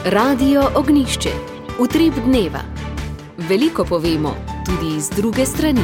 Radio Ognjišče. Utrip dneva. Veliko povemo tudi z druge strani.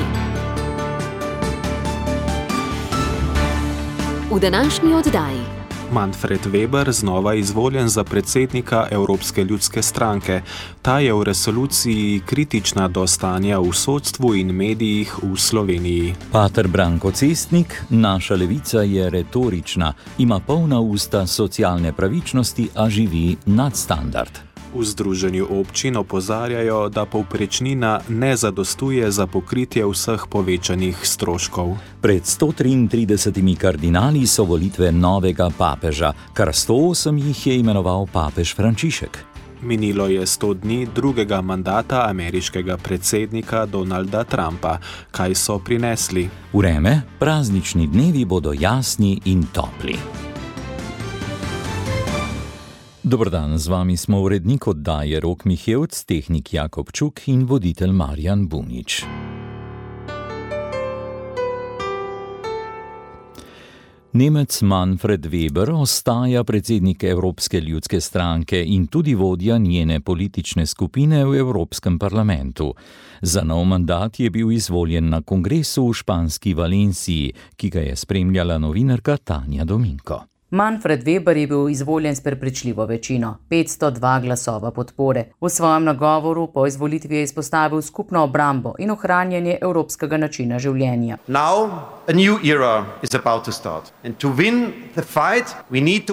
V današnji oddaji Manfred Weber znova izvoljen za predsednika Evropske ljudske stranke. Ta je v resoluciji kritična do stanja v sodstvu in medijih v Sloveniji. Pater Branko Cestnik, naša levica je retorična, ima polna usta socialne pravičnosti, a živi nadstandard. V Združenju občin opozarjajo, da povprečnina ne zadostuje za pokritje vseh povečanih stroškov. Pred 133 kardinali so volitve novega papeža, kar 108 jih je imenoval papež Frančišek. Minilo je 100 dni drugega mandata ameriškega predsednika Donalda Trumpa. Kaj so prinesli? Vreme, praznični dnevi bodo jasni in topli. Dobrodan, z vami smo urednik oddaje Rok Mihevc, tehnik Jakob Čuk in voditelj Marjan Bunič. Nemec Manfred Weber ostaja predsednik Evropske ljudske stranke in tudi vodja njene politične skupine v Evropskem parlamentu. Za nov mandat je bil izvoljen na kongresu v španski Valenciji, ki ga je spremljala novinarka Tanja Dominko. Manfred Weber je bil izvoljen s prepričljivo večino, 502 glasova podpore. V svojem nagovoru po izvolitvi je izpostavil skupno obrambo in ohranjanje evropskega načina življenja.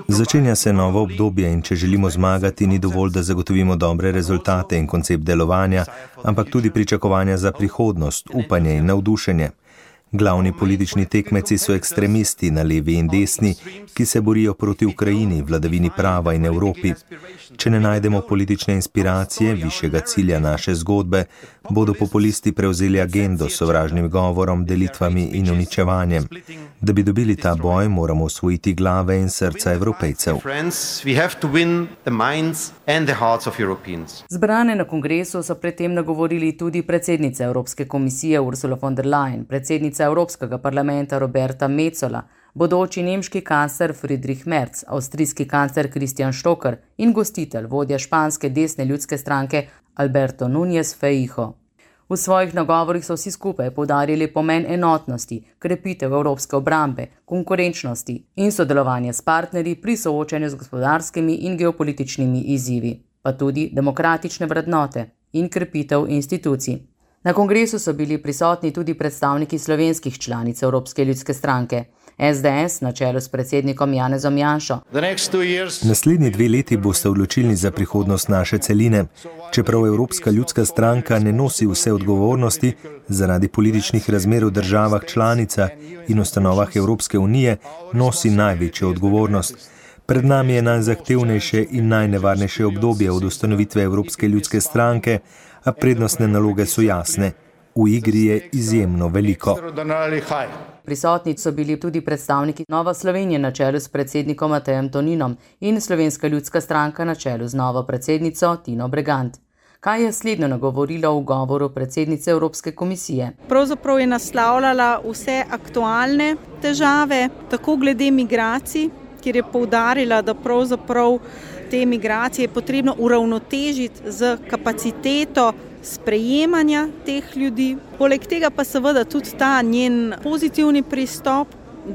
Začenja se novo obdobje in če želimo zmagati, ni dovolj, da zagotovimo dobre rezultate in koncept delovanja, ampak tudi pričakovanja za prihodnost, upanje in navdušenje. Glavni politični tekmeci so ekstremisti na levi in desni, ki se borijo proti Ukrajini, vladavini prava in Evropi. Če ne najdemo politične inspiracije, višjega cilja naše zgodbe, bodo populisti prevzeli agendo s sovražnim govorom, delitvami in uničevanjem. Da bi dobili ta boj, moramo osvojiti glave in srca Evropejcev. Zbrane na kongresu so predtem nagovorili tudi predsednica Evropske komisije Ursula von der Leyen, predsednica Evropskega parlamenta Roberta Metsola, bodoči nemški kancler Friedrich Merz, avstrijski kancler Christian Stocker in gostitelj, vodja španske desne ljudske stranke Alberto Núñez Feijóo. V svojih nagovorih so vsi skupaj poudarili pomen enotnosti, krepitev evropske obrambe, konkurenčnosti in sodelovanja s partnerji pri soočanju z gospodarskimi in geopolitičnimi izzivi, pa tudi demokratične vrednote in krepitev institucij. Na kongresu so bili prisotni tudi predstavniki slovenskih članic Evropske ljudske stranke, SDS na čelu s predsednikom Janezom Janšo. Naslednji 2 leti boste odločilni za prihodnost naše celine. Čeprav Evropska ljudska stranka ne nosi vse odgovornosti, zaradi političnih razmer v državah članicah in ustanovah Evropske unije nosi največjo odgovornost. Pred nami je najzahtevnejše in najnevarnejše obdobje od ustanovitve Evropske ljudske stranke, a prednostne naloge so jasne. V igri je izjemno veliko. Prisotni so bili tudi predstavniki Nova Slovenije na čelu s predsednikom Matejem Toninom in Slovenska ljudska stranka na čelu z novo predsednico Tino Bregant. Kaj je slednjo nagovorilo v govoru predsednice Evropske komisije? Pravzaprav je naslavljala vse aktualne težave, tako glede migracij, kjer je poudarila, da pravzaprav te migracije je potrebno uravnotežiti z kapaciteto sprejemanja teh ljudi. Poleg tega pa seveda tudi ta njen pozitivni pristop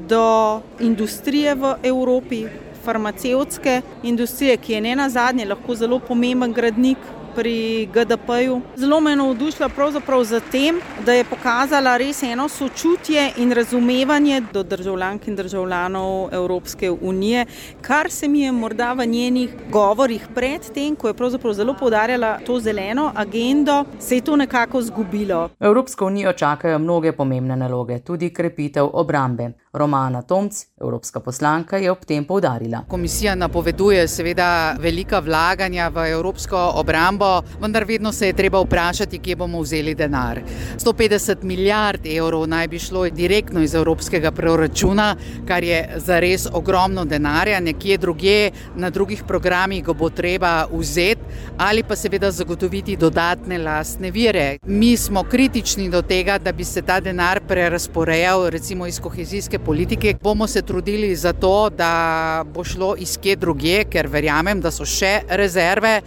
do industrije v Evropi, farmacevtske industrije, ki je nenazadnje lahko zelo pomemben gradnik pri GDP-ju. Zelo me je navdušila pravzaprav za tem, da je pokazala res eno sočutje in razumevanje do državljank in državljanov Evropske unije, kar se mi je morda v njenih govorih pred tem, ko je pravzaprav zelo poudarjala to zeleno agendo, se je to nekako zgubilo. Evropsko unijo čakajo mnoge pomembne naloge, tudi krepitev obrambe. Romana Tomc, evropska poslanka, je ob tem poudarila. Komisija napoveduje seveda velika vlaganja v evropsko obrambo, spremembo, vendar vedno se je treba vprašati, kje bomo vzeli denar. 150 milijard evrov naj bi šlo direktno iz evropskega proračuna, kar je zares ogromno denarja, nekje drugje, na drugih programih ga bo treba vzeti ali pa seveda zagotoviti dodatne lastne vire. Mi smo kritični do tega, da bi se ta denar prerasporejal recimo iz kohezijske politike. Bomo se trudili za to, da bo šlo iz kje drugje, ker verjamem, da so še rezerve.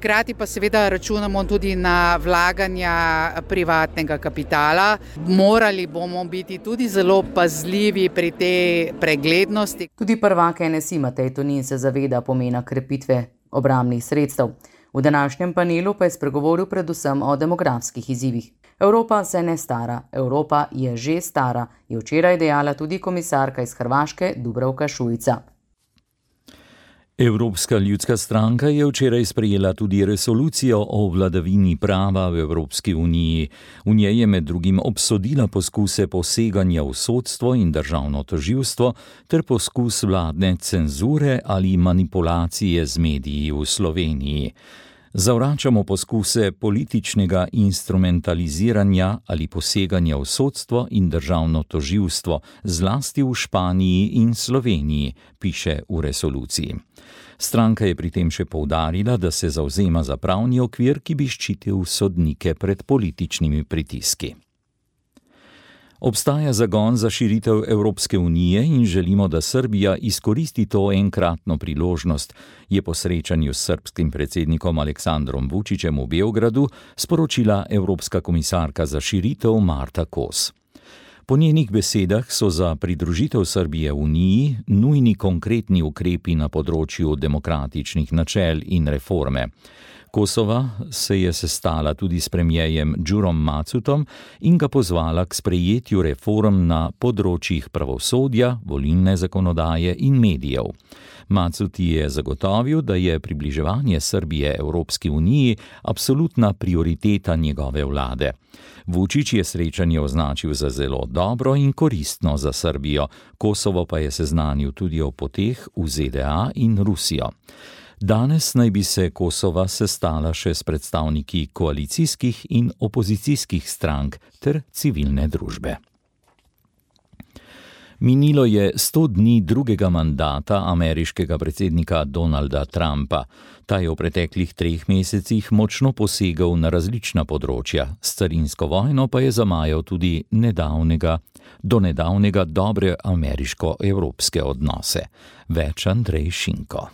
Hkrati pa seveda računamo tudi na vlaganja privatnega kapitala. Morali bomo biti tudi zelo pazljivi pri tej preglednosti. Tudi prvak NSI Matej Tonin se zaveda pomena krepitve obrambnih sredstev. V današnjem panelu pa je spregovoril predvsem o demografskih izzivih. Evropa se ne stara, Evropa je že stara, je včeraj dejala tudi komisarka iz Hrvaške Dubravka Šuica. Evropska ljudska stranka je včeraj sprejela tudi resolucijo o vladavini prava v Evropski uniji. V njej je med drugim obsodila poskuse poseganja v sodstvo in državno tožilstvo ter poskus vladne cenzure ali manipulacije z mediji v Sloveniji. Zavračamo poskuse političnega instrumentaliziranja ali poseganja v sodstvo in državno tožilstvo, zlasti v Španiji in Sloveniji, piše v resoluciji. Stranka je pri tem še poudarila, da se zavzema za pravni okvir, ki bi ščitil sodnike pred političnimi pritiski. Obstaja zagon za širitev Evropske unije in želimo, da Srbija izkoristi to enkratno priložnost, je po srečanju s srbskim predsednikom Aleksandrom Vučićem v Beogradu sporočila Evropska komisarka za širitev Marta Kos. Po njenih besedah so za pridružitev Srbije Uniji nujni konkretni ukrepi na področju demokratičnih načel in reforme. Kosova se je sestala tudi s premierjem Đurom Macutom in ga pozvala k sprejetju reform na področjih pravosodja, volilne zakonodaje in medijev. Macut je zagotovil, da je približevanje Srbije Evropski uniji absolutna prioriteta njegove vlade. Vučić je srečanje označil za zelo dobro in koristno za Srbijo, Kosovo pa je seznanil tudi o poteh v ZDA in Rusijo. Danes naj bi se Kosova sestala še s predstavniki koalicijskih in opozicijskih strank ter civilne družbe. Minilo je 100 dni drugega mandata ameriškega predsednika Donalda Trumpa. Ta je v preteklih 3 mesecih močno posegal na različna področja. S carinsko vojno pa je zamajal tudi do nedavnega dobre ameriško-evropske odnose. Več Andrej Šinko.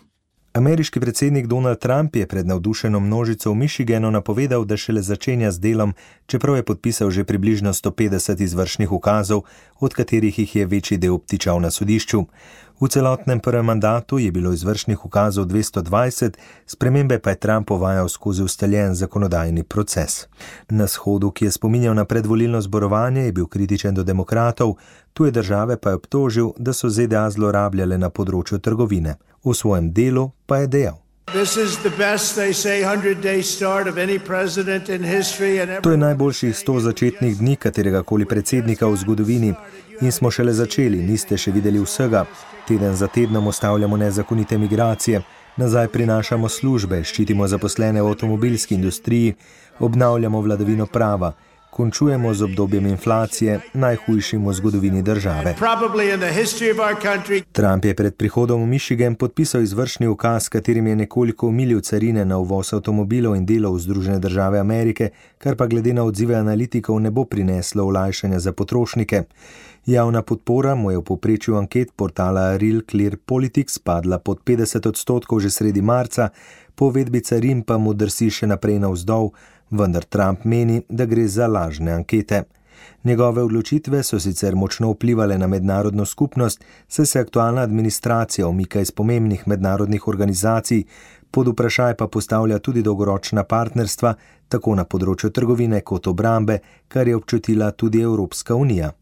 Ameriški predsednik Donald Trump je pred navdušeno množico v Michiganu napovedal, da šele začenja z delom, čeprav je podpisal že približno 150 izvršnih ukazov, od katerih jih je večji del obtičal na sodišču. V celotnem prvem mandatu je bilo izvršnih ukazov 220, spremembe pa je Trump uvajal skozi ustaljen zakonodajni proces. Na shodu, ki je spominjal na predvolilno zborovanje, je bil kritičen do demokratov, tuje države pa je obtožil, da so ZDA zlorabljale na področju trgovine. V svojem delu pa je dejal: To je najboljših 100 začetnih dni kateregakoli predsednika v zgodovini in smo šele začeli, niste še videli vsega. Teden za tednom ustavljamo nezakonite migracije, nazaj prinašamo službe, ščitimo zaposlene v avtomobilski industriji, obnavljamo vladavino prava, končujemo z obdobjem inflacije, najhujšim v zgodovini države. Trump je pred prihodom v Michigan podpisal izvršni ukaz, katerim je nekoliko omilil carine na uvoz avtomobilov in delov v Združene države Amerike, kar pa glede na odzive analitikov ne bo prineslo olajšanja za potrošnike. Javna podpora mu je v povprečju anket portala Real Clear Politics padla pod 50% že sredi marca, po uvedbi carin pa mu drsi še naprej navzdol, vendar Trump meni, da gre za lažne ankete. Njegove odločitve so sicer močno vplivale na mednarodno skupnost, saj se aktualna administracija umika iz pomembnih mednarodnih organizacij, pod vprašaj pa postavlja tudi dolgoročna partnerstva, tako na področju trgovine kot obrambe, kar je občutila tudi Evropska unija.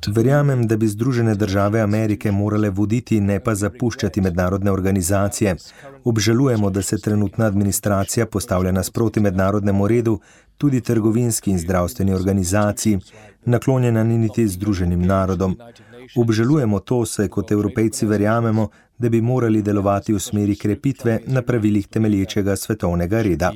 Verjamem, da bi Združene države Amerike morale voditi, ne pa zapuščati mednarodne organizacije. Obžalujemo, da se trenutna administracija postavlja nasproti mednarodnemu redu, tudi trgovinski in zdravstveni organizaciji, naklonjena ni niti Združenim narodom. Obžalujemo to, saj kot Evropejci verjamemo, da bi morali delovati v smeri krepitve na pravilih temelječega svetovnega reda.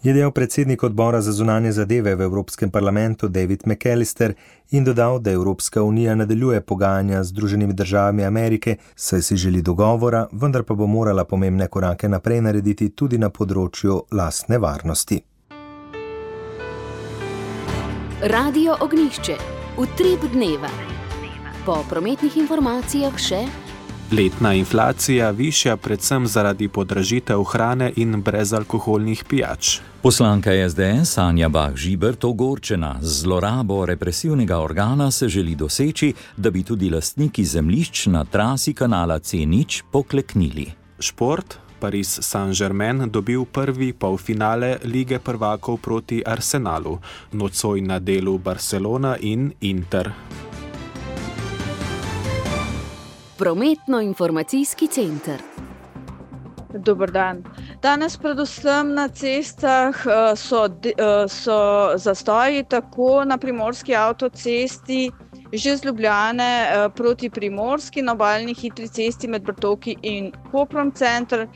Je dejal predsednik odbora za zunanje zadeve v Evropskem parlamentu David McAllister in dodal, da Evropska unija nadaljuje pogajanja z Združenimi državami Amerike, saj si želi dogovora, vendar pa bo morala pomembne korake naprej narediti tudi na področju lastne varnosti. Radio Ognjišče. Utrip dneva. Po prometnih informacijah še letna inflacija višja predvsem zaradi podražitev hrane in brezalkoholnih pijač. Poslanka SDS Anja Bah Žibert ogorčena. Z zlorabo represivnega organa se želi doseči, da bi tudi lastniki zemljišč na trasi kanala C0 pokleknili. Šport. Paris Saint-Germain dobil prvi polfinale Lige prvakov proti Arsenalu. Nocoj na delu Barcelona in Inter. Prometno-informacijski center. Dober dan. Danes predvsem na cestah so zastoji tako na primorski avtocesti, že z Ljubljane proti Primorski, na obalni hitri cesti med Brtovki in Koprom center,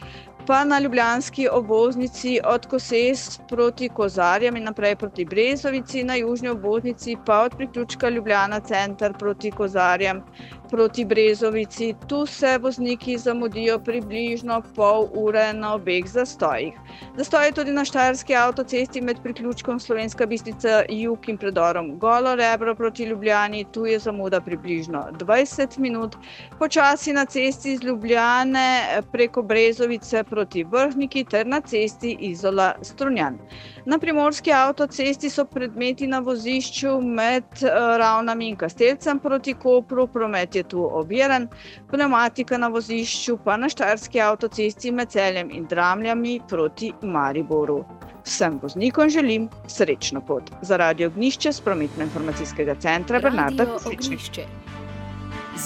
pa na ljubljanski obvoznici od Koses proti Kozarjem in naprej proti Brezovici, na južni obvoznici pa od priključka Ljubljana center proti Kozarjem proti Brezovici. Tu se vozniki zamudijo približno pol ure na obeh zastojih. Zastoji tudi na štajerski avtocesti med priključkom Slovenska Bistrica jug in predorom Golo Rebro proti Ljubljani. Tu je zamuda približno 20 minut. Počasi na cesti iz Ljubljane preko Brezovice proti Vrhniki ter na cesti Izola Strunjan. Na primorski avtocesti so predmeti na vozišču med Ravnami in Kastelcem proti Kopru, promet je tu oviran, pneumatika na vozišču pa na štajerski avtocesti med Celjem in Dramljami proti Mariboru. Vsem voznikom želim srečno pot. Za Radio Ognjišče z prometno-informacijskega centra Bernarda Kosičnik.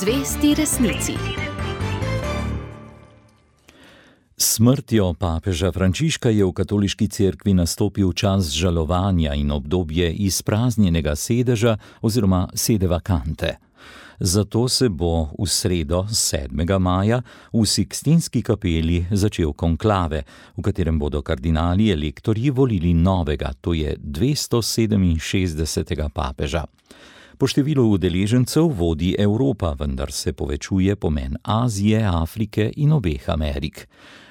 Zvesti resnici. S smrtjo papeža Frančiška je v katoliški cerkvi nastopil čas žalovanja in obdobje izpraznjenega sedeža oziroma sede vakante. Zato se bo v sredo 7. maja v Sikstinski kapeli začel konklave, v katerem bodo kardinali elektorji volili novega, to je 267. papeža. Po številu udeležencev vodi Evropa, vendar se povečuje pomen Azije, Afrike in obeh Amerik.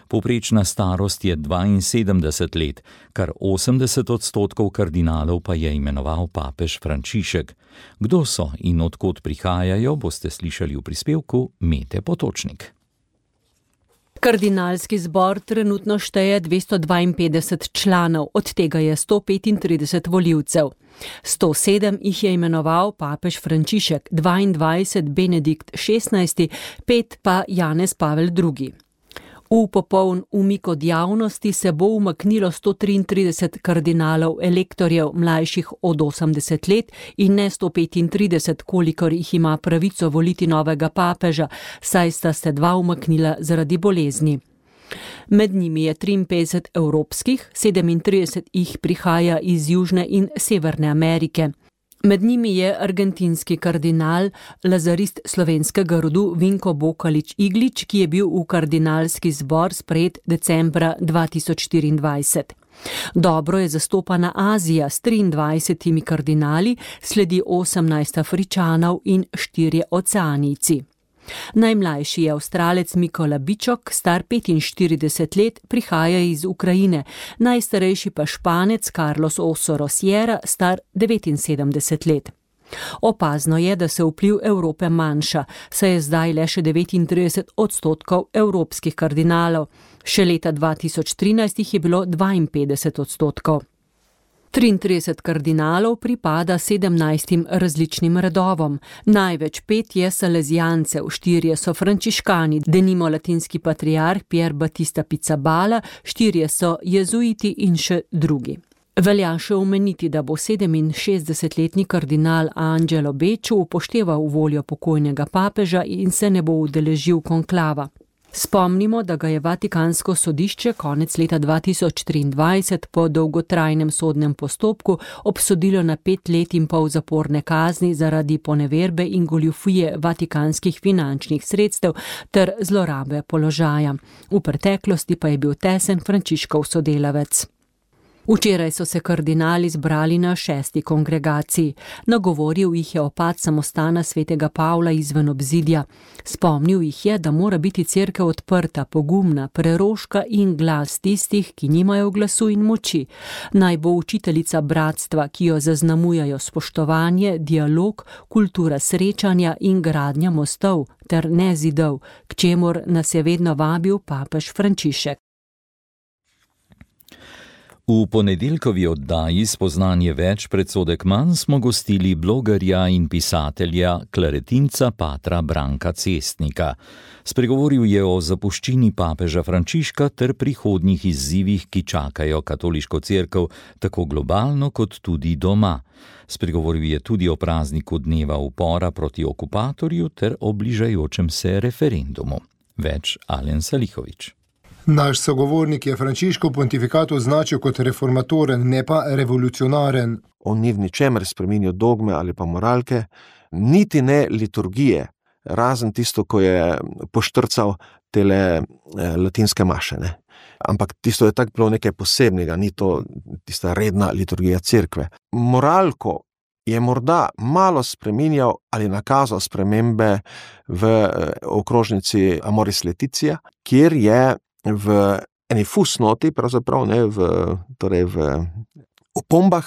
Povprečna starost je 72 let, kar 80% kardinalov pa je imenoval papež Frančišek. Kdo so in odkot prihajajo, boste slišali v prispevku Mete Potočnik. Kardinalski zbor trenutno šteje 252 članov, od tega je 135 volivcev. 107 jih je imenoval papež Frančišek, 22 Benedikt XVI, 5 pa Janez Pavel II. V popoln umik od javnosti se bo umaknilo 133 kardinalov elektorjev mlajših od 80 let in ne 135, kolikor jih ima pravico voliti novega papeža, saj sta se 2 umaknila zaradi bolezni. Med njimi je 53 evropskih, 37 jih prihaja iz Južne in Severne Amerike. Med njimi je argentinski kardinal, lazarist slovenskega rodu Vinko Bokalič-Iglič, ki je bil v kardinalski zbor sprejet decembra 2024. Dobro je zastopana Azija s 23 kardinali, sledi 18 Afričanov in 4 oceanijci. Najmlajši je Avstralec Mikola Bičok, star 45 let, prihaja iz Ukrajine, najstarejši pa Španec Carlos Osoro Sierra, star 79 let. Opazno je, da se vpliv Evrope manjša, saj je zdaj le še 39% evropskih kardinalov. Še leta 2013 jih je bilo 52%. 33 kardinalov pripada 17 različnim redovom. Največ 5 je salezijancev, 4 so frančiškani, denimo latinski patriarh Pier Battista Pizzaballa, 4 so jezuiti in še drugi. Velja še omeniti, da bo 67-letni kardinal Angelo Becciu upošteval voljo pokojnega papeža in se ne bo udeležil konklava. Spomnimo, da ga je Vatikansko sodišče konec leta 2023 po dolgotrajnem sodnem postopku obsodilo na 5 let in pol zaporne kazni zaradi poneverbe in goljufije vatikanskih finančnih sredstev ter zlorabe položaja. V preteklosti pa je bil tesen Frančiškov sodelavec. Včeraj so se kardinali zbrali na 6. kongregaciji. Nagovoril jih je opad samostana svetega Pavla izven obzidja. Spomnil jih je, da mora biti cerkev odprta, pogumna, preroška in glas tistih, ki nimajo glasu in moči. Naj bo učiteljica bratstva, ki jo zaznamujajo spoštovanje, dialog, kultura srečanja in gradnja mostov ter ne zidov, k čemur nas je vedno vabil papež Frančišek. V ponedeljkovi oddaji Spoznanje več, predsodek manj smo gostili blogerja in pisatelja, klaretinca patra Branka Cestnika. Spregovoril je o zapuščini papeža Frančiška ter prihodnjih izzivih, ki čakajo katoliško cerkev tako globalno kot tudi doma. Spregovoril je tudi o prazniku dneva upora proti okupatorju ter o bližajočem se referendumu. Več Alen Salihović. Naš sogovornik je Frančiškov pontifikat označil kot reformatoren, ne pa revolucionaren. On ni v ničemer spreminjal dogme ali pa moralke, niti ne liturgije, razen tisto, ko je poštrcal tele latinske maše. Ne? Ampak tisto je tako bilo nekaj posebnega, ni to tista redna liturgija cerkve. Moralko je morda malo spreminjal ali nakazal spremembe v okrožnici Amoris Laetitia, kjer je v eni fusnoti, pravzaprav ne, v opombah,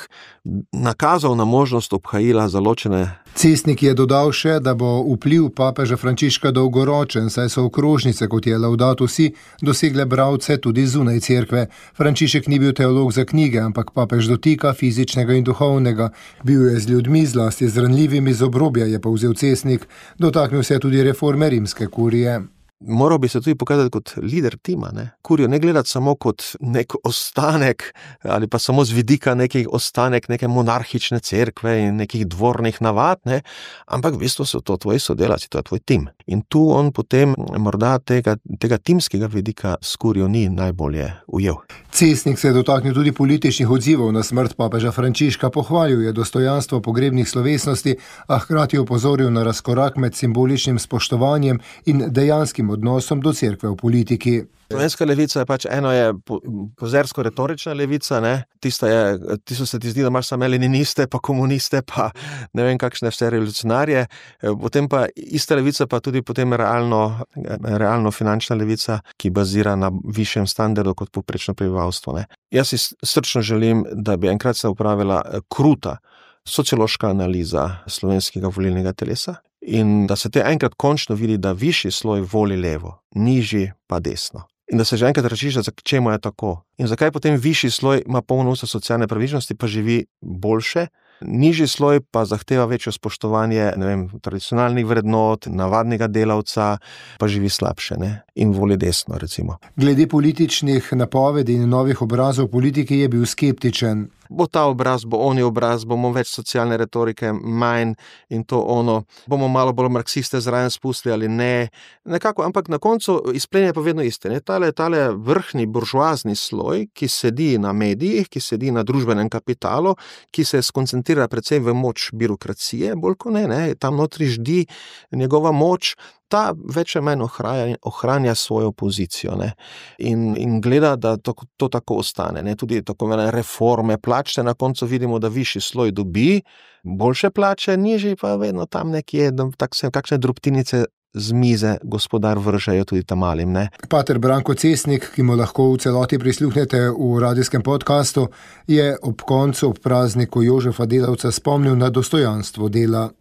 nakazal na možnost obhajila za ločene. Cestnik je dodal še, da bo vpliv papeža Frančiška dolgoročen, saj so okrožnice, kot je Laudato Si, dosegle bralce tudi zunaj cerkve. Frančišek ni bil teolog za knjige, ampak papež dotika fizičnega in duhovnega. Bil je z ljudmi, zlasti z ranljivimi z obrobja, je povzel Cestnik. Dotaknil se tudi reforme rimske kurije. Moral bi se tudi pokazati kot lider tima, ne? Kurijo ne gledati samo kot nek ostanek ali pa samo z vidika nekih ostanek neke monarhične cerkve in nekih dvornih navad, ne? Ampak v bistvu so to tvoji sodelavci, to je tvoj tim. In tu on potem morda tega timskega vidika s kurijo ni najbolje ujel. Cestnik se je dotaknil tudi političnih odzivov na smrt papeža Frančiška, pohvalil je dostojanstvo pogrebnih slovesnosti, a hkrati opozoril na razkorak med simboličnim spoštovanjem in dejanskim odnosom do cerkve v politiki. Slovenska levica je eno je pozersko-retorična levica, ne? Tisto se ti zdi, da imaš same leniniste, pa komuniste, pa ne vem kakšne vse revolucionarje, potem pa ista levica, pa tudi potem realno finančna levica, ki bazira na višjem standardu kot povprečno prebivalstvo, ne? Jaz si srčno želim, da bi enkrat se opravila kruta sociološka analiza slovenskega volilnega telesa in da se te enkrat končno vidi, da višji sloj voli levo, nižji pa desno. In da se že enkrat razčišča, čemu je tako. In zakaj potem višji sloj ima polno usta socialne pravičnosti, pa živi boljše, nižji sloj pa zahteva večjo spoštovanje, ne vem, tradicionalnih vrednot, navadnega delavca, pa živi slabše, ne? In voli desno, recimo. Glede političnih napovedi in novih obrazov politike je bil skeptičen. Bo ta obraz, bo oni obraz, bomo več socialne retorike, manj in to ono, bomo malo bolj marksiste zraven spustili ali ne, nekako, ampak na koncu izplenje pa vedno iste, ne? Tale vrhni buržoazni sloj, ki sedi na medijih, ki sedi na družbenem kapitalu, ki se skoncentrira predvsem v moč birokracije, bolj kot ne, tam notri ždi njegova moč, ta več ali manj ohranja svojo pozicijo, ne? In gleda, da to tako ostane, ne? Tudi tako reforme plače, na koncu vidimo, da višji sloj dobi boljše plače, nižji pa vedno tam nekje, kakšne drobtinice z mize gospodar vržejo tudi tam malim, ne. Pater Branko Cestnik, ki mu lahko v celoti prisluhnete v radijskem podkastu, je ob koncu, ob prazniku Jožefa Delavca spomnil na dostojanstvo dela.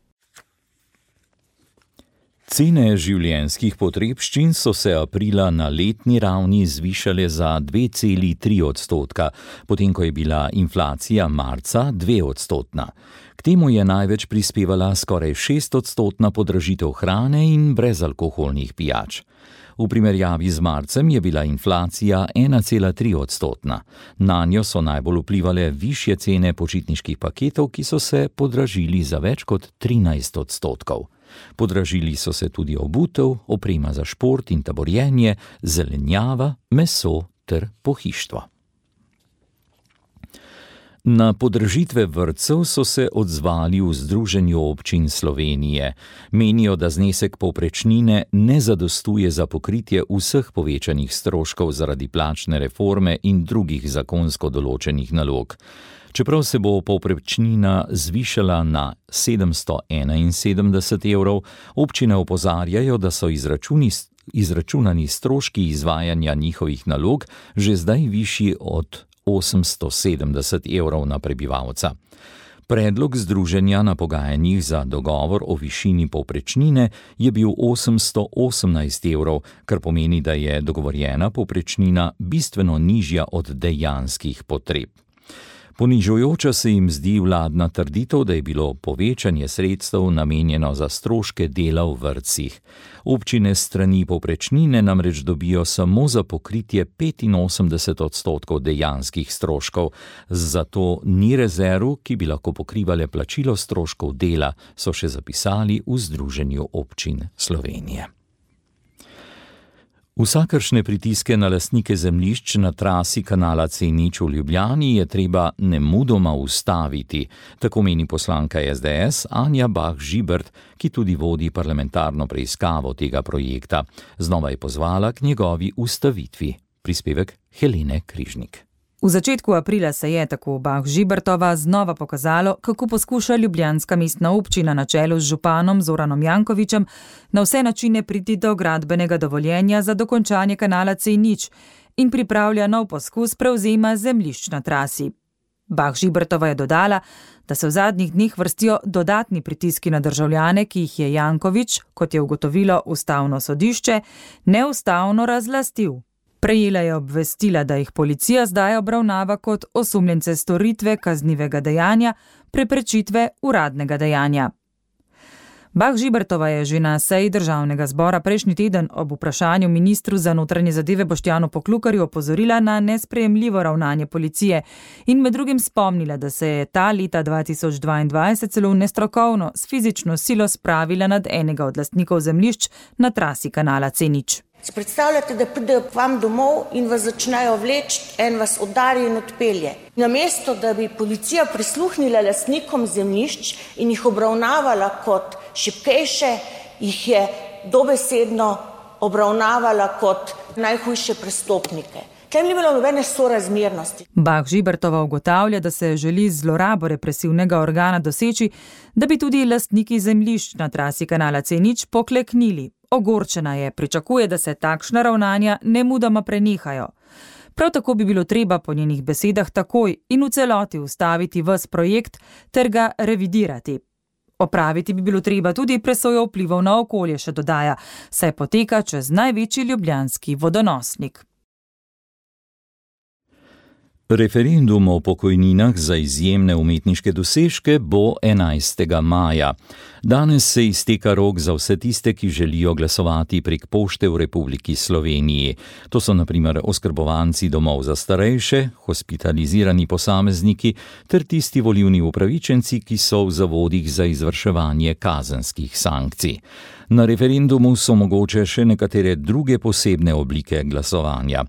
Cene življenjskih potrebščin so se aprila na letni ravni zvišale za 2,3%, potem ko je bila inflacija marca 2%. K temu je največ prispevala skoraj 6% podražitev hrane in brezalkoholnih pijač. V primerjavi z marcem je bila inflacija 1,3%. Nanjo so najbolj vplivale višje cene počitniških paketov, ki so se podražili za več kot 13%. Podražili so se tudi obutev, oprema za šport in taborjenje, zelenjava, meso ter pohištvo. Na podražitve vrtcev so se odzvali v Združenju občin Slovenije. Menijo, da znesek povprečnine ne zadostuje za pokritje vseh povečanih stroškov zaradi plačne reforme in drugih zakonsko določenih nalog. Čeprav se bo povprečnina zvišala na 771 evrov, občine opozarjajo, da so izračunani stroški izvajanja njihovih nalog že zdaj višji od 870 evrov na prebivalca. Predlog združenja na pogajanjih za dogovor o višini povprečnine je bil 818 evrov, kar pomeni, da je dogovorjena povprečnina bistveno nižja od dejanskih potreb. Ponižujoča se jim zdi vladna trditev, da je bilo povečanje sredstev namenjeno za stroške dela v vrtcih. Občine s strani povprečnine namreč dobijo samo za pokritje 85% dejanskih stroškov, zato ni rezerv, ki bi lahko pokrivale plačilo stroškov dela, so še zapisali v Združenju občin Slovenije. Vsakršne pritiske na lastnike zemljišč na trasi kanala C0 v Ljubljani je treba nemudoma ustaviti, tako meni poslanka SDS Anja Bah Žibert, ki tudi vodi parlamentarno preiskavo tega projekta. Znova je pozvala k njegovi ustavitvi. Prispevek Helene Križnik. V začetku aprila se je, tako Bah Žibertova, znova pokazalo, kako poskuša ljubljanska mestna občina na čelu z županom Zoranom Jankovićem na vse načine priti do gradbenega dovoljenja za dokončanje kanala C0 in pripravlja nov poskus prevzema zemljišč na trasi. Bah Žibertova je dodala, da se v zadnjih dneh vrstijo dodatni pritiski na državljane, ki jih je Janković, kot je ugotovilo Ustavno sodišče, neustavno razlastil. Prejela je obvestila, da jih policija zdaj obravnava kot osumljence storitve kaznivega dejanja, preprečitve uradnega dejanja. Bah Žibertova je že na seji državnega zbora prejšnji teden ob vprašanju ministru za notranje zadeve Boštjanu Poklukarju opozorila na nesprejemljivo ravnanje policije in med drugim spomnila, da se je ta leta 2022 celo nestrokovno s fizično silo spravila nad enega od lastnikov zemljišč na trasi kanala C0. Si predstavljate, da pridejo k vam domov in vas začnejo vleči, en vas udari in odpelje. Namesto, da bi policija prisluhnila lastnikom zemljišč in jih obravnavala kot šibkejše, jih je dobesedno obravnavala kot najhujše prestopnike. Tem ni bilo nobene sorazmernosti. Bah Žibertova ugotavlja, da se želi z zlorabo represivnega organa doseči, da bi tudi lastniki zemljišč na trasi kanala C0 pokleknili. Ogorčena je, pričakuje, da se takšna ravnanja nemudoma prenehajo. Prav tako bi bilo treba po njenih besedah takoj in v celoti ustaviti ves projekt ter ga revidirati. Opraviti bi bilo treba tudi presojo vplivov na okolje, še dodaja, saj poteka čez največji ljubljanski vodonosnik. Referendum o pokojninah za izjemne umetniške dosežke bo 11. maja. Danes se izteka rok za vse tiste, ki želijo glasovati prek pošte v Republiki Sloveniji. To so na primer oskrbovanci domov za starejše, hospitalizirani posamezniki ter tisti volilni upravičenci, ki so v zavodih za izvrševanje kazenskih sankcij. Na referendumu so mogoče še nekatere druge posebne oblike glasovanja.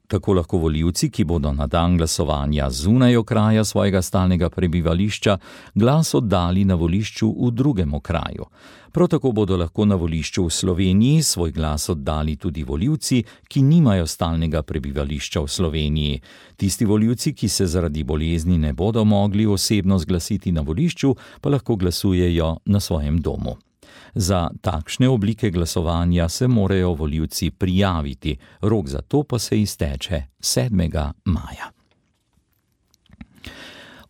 Tako lahko volivci, ki bodo na dan glasovanja zunaj okraja svojega stalnega prebivališča, glas oddali na volišču v drugem okraju. Prav tako bodo lahko na volišču v Sloveniji svoj glas oddali tudi volivci, ki nimajo stalnega prebivališča v Sloveniji. Tisti volivci, ki se zaradi bolezni ne bodo mogli osebno zglasiti na volišču, pa lahko glasujejo na svojem domu. Za takšne oblike glasovanja se morajo volivci prijaviti, rok za to pa se izteče 7. maja.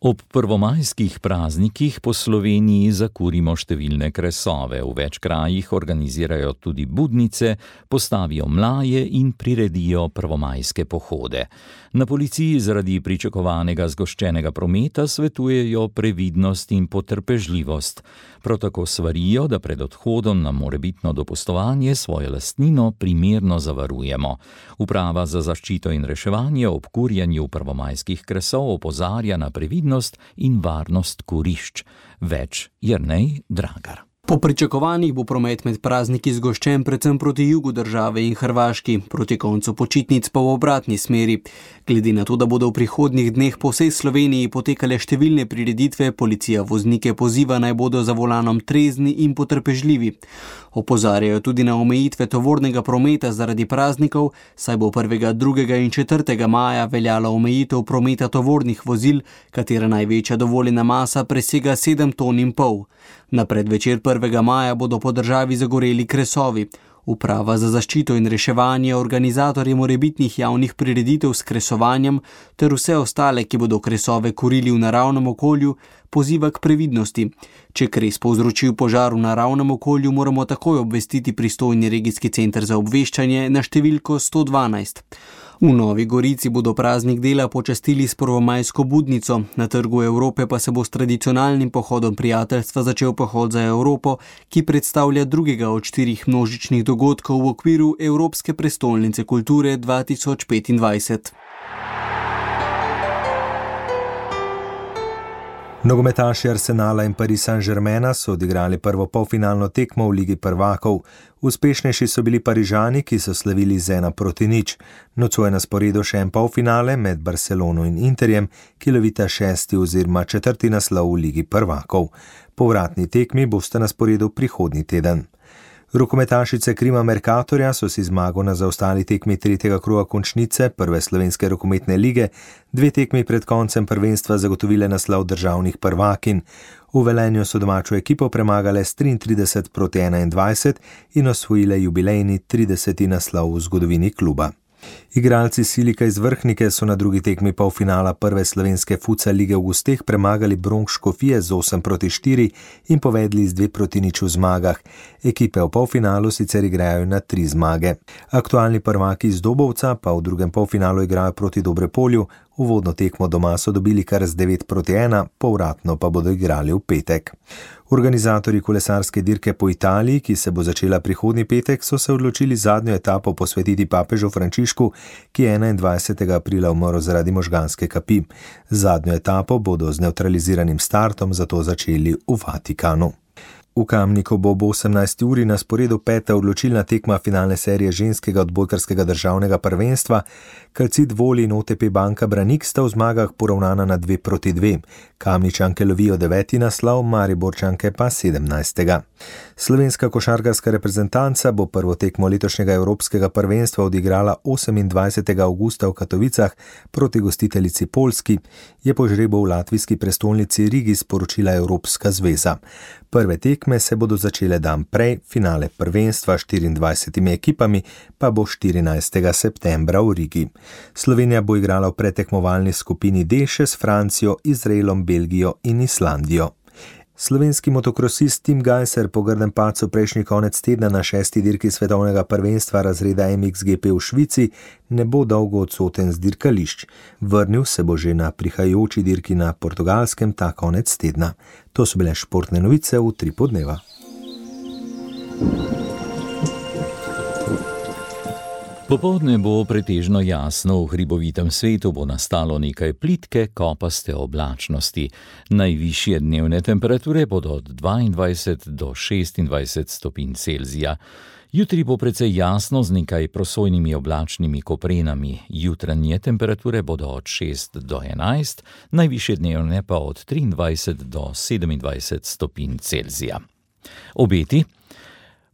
Ob prvomajskih praznikih po Sloveniji zakurimo številne kresove, v več krajih organizirajo tudi budnice, postavijo mlaje in priredijo prvomajske pohode. Na policiji zaradi pričakovanega zgoščenega prometa svetujejo previdnost in potrpežljivost. Prav tako svarijo, da pred odhodom na morebitno dopustovanje svojo lastnino primerno zavarujemo. Uprava za zaščito in reševanje ob kurjenju prvomajskih kresov opozarja na previdnost in varnost kurišč. Več Jernej Dragar. Po pričakovanjih bo promet med prazniki zgoščen predvsem proti jugu države in Hrvaški, proti koncu počitnic pa v obratni smeri. Glede na to, da bodo v prihodnjih dneh po vsej Sloveniji potekale številne prireditve, policija voznike poziva, naj bodo za volanom trezni in potrpežljivi. Opozarjajo tudi na omejitve tovornega prometa zaradi praznikov, saj bo 1., 2. in 4. maja veljala omejitev prometa tovornih vozil, katera največja dovoljena masa presega 7,5 ton. Na predvečer 1. maja bodo po državi zagoreli kresovi. Uprava za zaščito in reševanje organizatorje morebitnih javnih prireditev s kresovanjem ter vse ostale, ki bodo kresove kurili v naravnem okolju, poziva k previdnosti. Če kres povzročil požar v naravnem okolju, moramo takoj obvestiti pristojni regijski center za obveščanje na številko 112. V Novi Gorici bodo praznik dela počastili s prvomajsko budnico, na Trgu Evrope pa se bo s tradicionalnim pohodom prijateljstva začel pohod za Evropo, ki predstavlja drugega od 4 množičnih dogodkov v okviru Evropske prestolnice kulture 2025. Nogometaši Arsenala in Paris Saint-Germaina so odigrali prvo polfinalno tekmo v Ligi prvakov. Uspešnejši so bili Parižani, ki so slavili z 1-0. Nocoj je na sporedu še en polfinale med Barcelono in Interjem, ki lovita 6. oziroma 4. naslov v Ligi prvakov. Povratni tekmi bosta na sporedu prihodnji teden. Rokometašice Krima Mercatorja so si zmago na zaostali tekmi 3. kroga končnice prve slovenske rokometne lige 2 tekmi pred koncem prvenstva zagotovile naslov državnih prvakinj. V Velenju so domačo ekipo premagale s 33-21 in osvojile jubilejni 30. naslov v zgodovini kluba. Igralci Silika iz Vrhnike so na drugi tekmi polfinala prve slovenske futsal lige v gosteh premagali Bronx Škofije z 8-4 in povedli z 2-0 v zmagah. Ekipe v polfinalu sicer igrajo na 3 zmage. Aktualni prvaki iz Dobovca pa v drugem polfinalu igrajo proti Dobrepolju. Uvodno tekmo doma so dobili kar z 9-1, povratno pa bodo igrali v petek. Organizatorji kolesarske dirke po Italiji, ki se bo začela prihodnji petek, so se odločili zadnjo etapo posvetiti papežu Frančišku, ki je 21. aprila umrl zaradi možganske kapi. Zadnjo etapo bodo z nevtraliziranim startom zato začeli v Vatikanu. V Kamniku bo ob 18. uri na sporedu 5. odločilna tekma finalne serije ženskega odbojkarskega državnega prvenstva. Calcit Voli in OTP Banka Branik sta v zmagah poravnana na 2-2. Kamničanke lovijo 9. naslov, Mariborčanke pa 17. Slovenska košarkarska reprezentanca bo prvo tekmo letošnjega evropskega prvenstva odigrala 28. avgusta v Katovicah proti gostiteljici Poljski, je po žrebu v latvijski prestolnici Rigi sporočila Evropska zveza. Prve tekme se bodo začele dan prej, finale prvenstva 24 ekipami pa bo 14. septembra v Rigi. Slovenija bo igrala v pretekmovalni skupini D še s Francijo, Izraelom, Belgijo in Islandijo. Slovenski motokrosist Tim Gajser po grdem padcu prejšnji konec tedna na 6. dirki svetovnega prvenstva razreda MXGP v Švici ne bo dolgo odsoten z dirkališč. Vrnil se bo že na prihajajoči dirki na Portugalskem ta konec tedna. To so bile športne novice v 3 podneva. Popoldne bo pretežno jasno, v hribovitem svetu bo nastalo nekaj plitke, kopaste oblačnosti. Najvišje dnevne temperature bodo od 22 do 26 stopinj Celzija. Jutri bo precej jasno z nekaj prosojnimi oblačnimi koprenami. Jutranje temperature bodo od 6 do 11, najvišje dnevne pa od 23 do 27 stopinj Celzija. Obeti.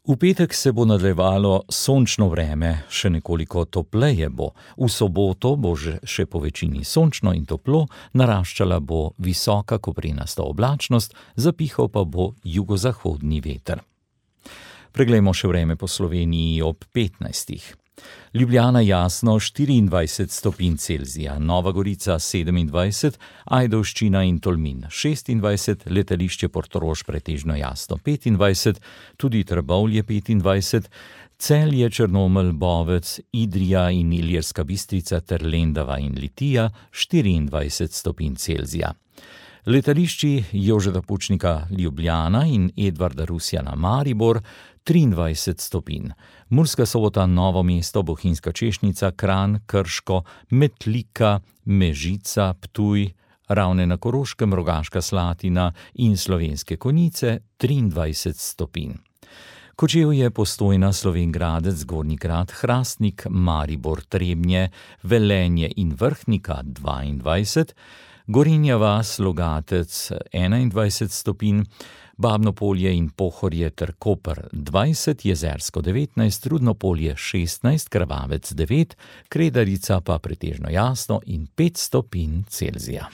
V petek se bo nadaljevalo sončno vreme, še nekoliko topleje bo. V soboto bo še po večini sončno in toplo, naraščala bo visoka koprenasta oblačnost, zapihal pa bo jugozahodni veter. Preglejmo še vreme po Sloveniji ob 15. Ljubljana jasno 24 stopinj Celzija, Nova Gorica 27, Ajdovščina in Tolmin 26, letališče Portorož pretežno jasno 25, tudi Trbovlje 25, Celje, Črnomelj, Bovec, Idrija in Ilirska Bistrica ter Lendava in Litija 24 stopinj Celzija. Letališči Jožeta Pučnika Ljubljana in Edvarda Rusjana Maribor 23 stopinj. Murska Sobota, Novo mesto, Bohinjska Češnica, Kranj, Krško, Metlika, Mežica, Ptuj, Ravne na Koroškem, Rogaška Slatina in Slovenske Konjice 23 stopinj. Kočevje, Postojna, Slovenj Gradec, Gornji Grad, Hrastnik, Maribor, Trebnje, Velenje in Vrhnika 22, Gorenja vas, Logatec 21 stopinj, Babno Polje in Pohorje ter Koper 20, Jezersko 19, Rudno Polje 16, Krvavec 9, Kredarica pa pretežno jasno in 5 stopinj Celzija.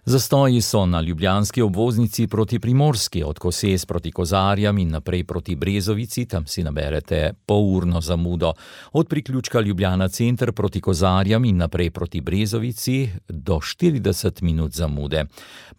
Zastoji so na ljubljanski obvoznici proti Primorski, od Koses proti Kozarjam in naprej proti Brezovici, tam si naberete polurno zamudo. Od priključka Ljubljana center proti Kozarjam in naprej proti Brezovici do 40 minut zamude.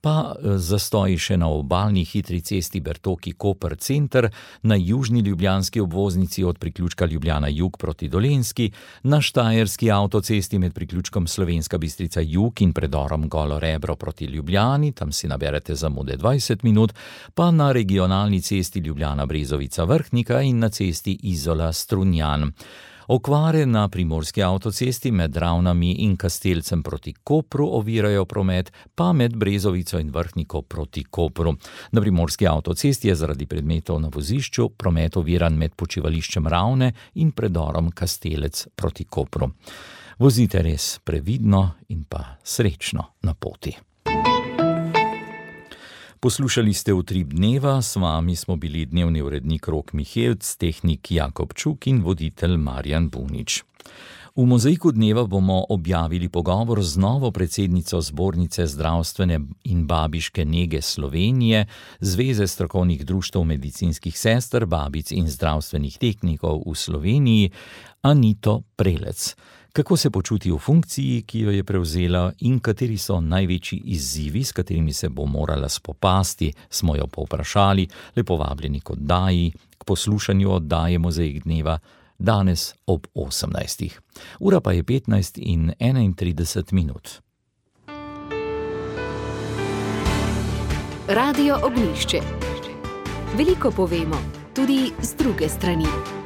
Pa zastoji še na obalni hitri cesti Bertoki-Koper center, na južni ljubljanski obvoznici od priključka Ljubljana jug proti Dolenjski, na štajerski avtocesti med priključkom Slovenska Bistrica jug in predorom Golo Rebro proti Ljubljani, tam si naberete zamude 20 minut, pa na regionalni cesti Ljubljana-Brezovica Vrhnika in na cesti Izola-Strunjan. Okvare na primorski avtocesti med Ravnami in Kastelcem proti Kopru ovirajo promet, pa med Brezovico in Vrhniko proti Kopru. Na primorski avtocesti je zaradi predmetov na vozišču promet oviran med počivališčem Ravne in predorom Kastelec proti Kopru. Vozite res previdno in pa srečno na poti. Poslušali ste Utrip dneva, s vami smo bili dnevni urednik Rok Mihelc, tehnik Jakob Čuk in voditelj Marjan Bunič. V Mozaiku dneva bomo objavili pogovor z novo predsednico Zbornice zdravstvene in babiške nege Slovenije, Zveze strokovnih društev medicinskih sester, babic in zdravstvenih tehnikov v Sloveniji, Anito Prelec. Kako se počuti v funkciji, ki jo je prevzela, in kateri so največji izzivi, s katerimi se bo morala spopasti, smo jo povprašali. Lepo vabljeni k oddaji, k poslušanju oddaje Mozaik dneva, danes ob 18. Ura pa je 15 in 31 minut. Radio Ognjišče. Veliko povemo, tudi z druge strani.